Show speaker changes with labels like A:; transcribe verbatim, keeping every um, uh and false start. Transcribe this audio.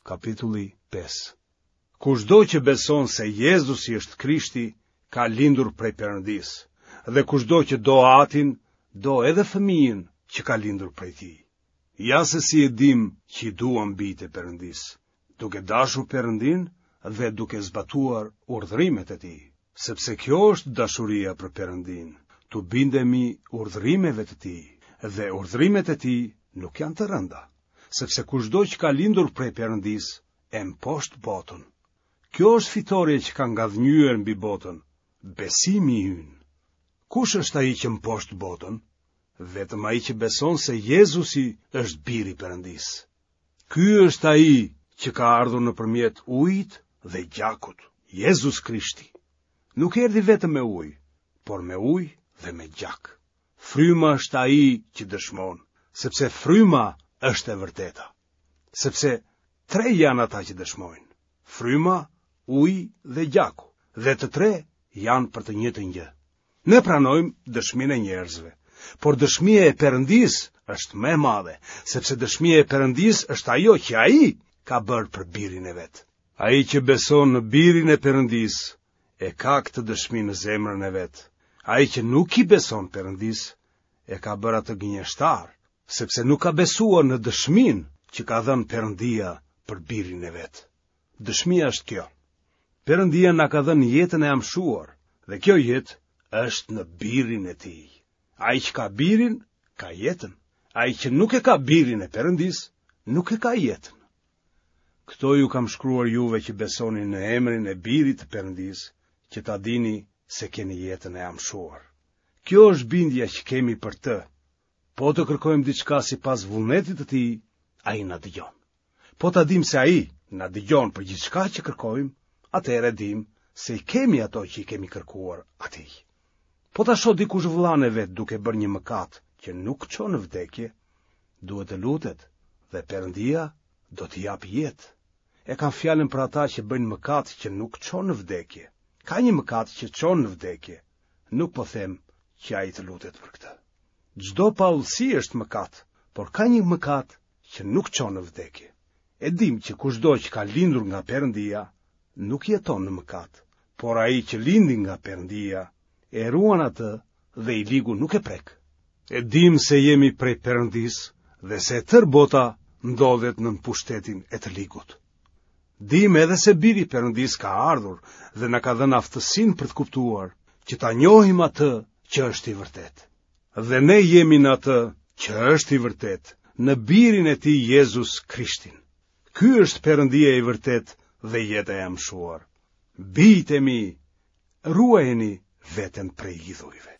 A: kapitulli pesë. Kushdo që beson se Jezusi është Krishti, ka lindur prej Perëndisë, dhe kushdo që do Atin, do edhe fëmijën që ka lindur prej tij. Ja se si e dimë që i duam bijtë e Perëndisë, duke dashur Perëndinë dhe duke zbatuar urdhërimet e tij, sepse kjo është dashuria për Perëndinë, t'u bindemi urdhërimeve të tij, dhe urdhërimet e tij nuk janë të rënda, sepse kushdo që ka lindur prej Perëndisë e mposht botën. Kjo është fitorja që ka ngadhënjyer mbi botën, besimi ynë. Kush është ai që mposht botën? Vetëm ai që beson se Jezusi është biri i Perëndisë. Ky është ai që ka ardhur nëpërmjet ujit dhe gjakut, Jezus Krishti. Nuk erdhi vetëm me ujë, por me ujë dhe me gjak. Fryma është ai që dëshmon, sepse fryma është e vërteta. Sepse tre janë ata që dëshmojnë: fryma, uji dhe gjaku, dhe të tre janë për të njëjtën gjë. Ne pranojmë dëshminë e njerëzve, por dëshmia e Perëndisë është më e madhe, sepse dëshmia e Perëndisë është ajo që ai ka bërë për birin e vet. Ai që beson në birin e Perëndisë e ka këtë dëshmi në zemrën e vet. Ai që nuk i beson Perëndisë e ka bërë atë gënjeshtar, sepse nuk ka besuar në dëshminë që ka dhënë Perëndia për birin e vet. Dëshmia është kjo: Perëndia na ka dhënë jetën e amshuar, dhe kjo jetë është në birin e tij. Ai që ka birin, ka jetën. Ai që nuk e ka birin e Perëndisë, nuk e ka jetën. Këto ju kam shkruar juve që besoni në emrin e birit të Perëndisë, që ta dini se keni jetën e amshuar. Kjo është bindja që kemi për të. Po të kërkojmë diçka sipas vullnetit të tij, ai na dëgjon. Po ta dimë se ai na dëgjon për gjithçka që kërkojmë, atëherë dimë se i kemi ato që i kemi kërkuar atij. Po ta shoh dikush vëllanë e vet duke bërë një mëkat që nuk çon në vdekje, duhet të lutet dhe Perëndia do t'i japë jetë. E kam fjalën për ata që bëjnë mëkat që nuk çon në vdekje. Ka një mëkat që çon në vdekje. Nuk po them që ai të lutet për këtë. Çdo paudhësi është mëkat, por ka një mëkat që nuk çon në vdekje. E dimë që kushdo që ka lindur nga Perëndia nuk jeton në mëkat, por ai që lindi nga Perëndia e ruan atë dhe i ligu nuk e prek. E dimë se jemi prej Perëndisë dhe se e tërë bota ndodhet nën pushtetin e të ligut. Dimë edhe se biri i Perëndisë ka ardhur dhe na ka dhënë aftësinë për të kuptuar që ta njohim atë që është i vërtetë. Dhe ne jemi në atë që është i vërtetë, në birin e tij Jezus Krishtin. Ky është Perëndia i vërtetë dhe jeta e amshuar. Bijtë e mi, ruajeni veten prej idhujve.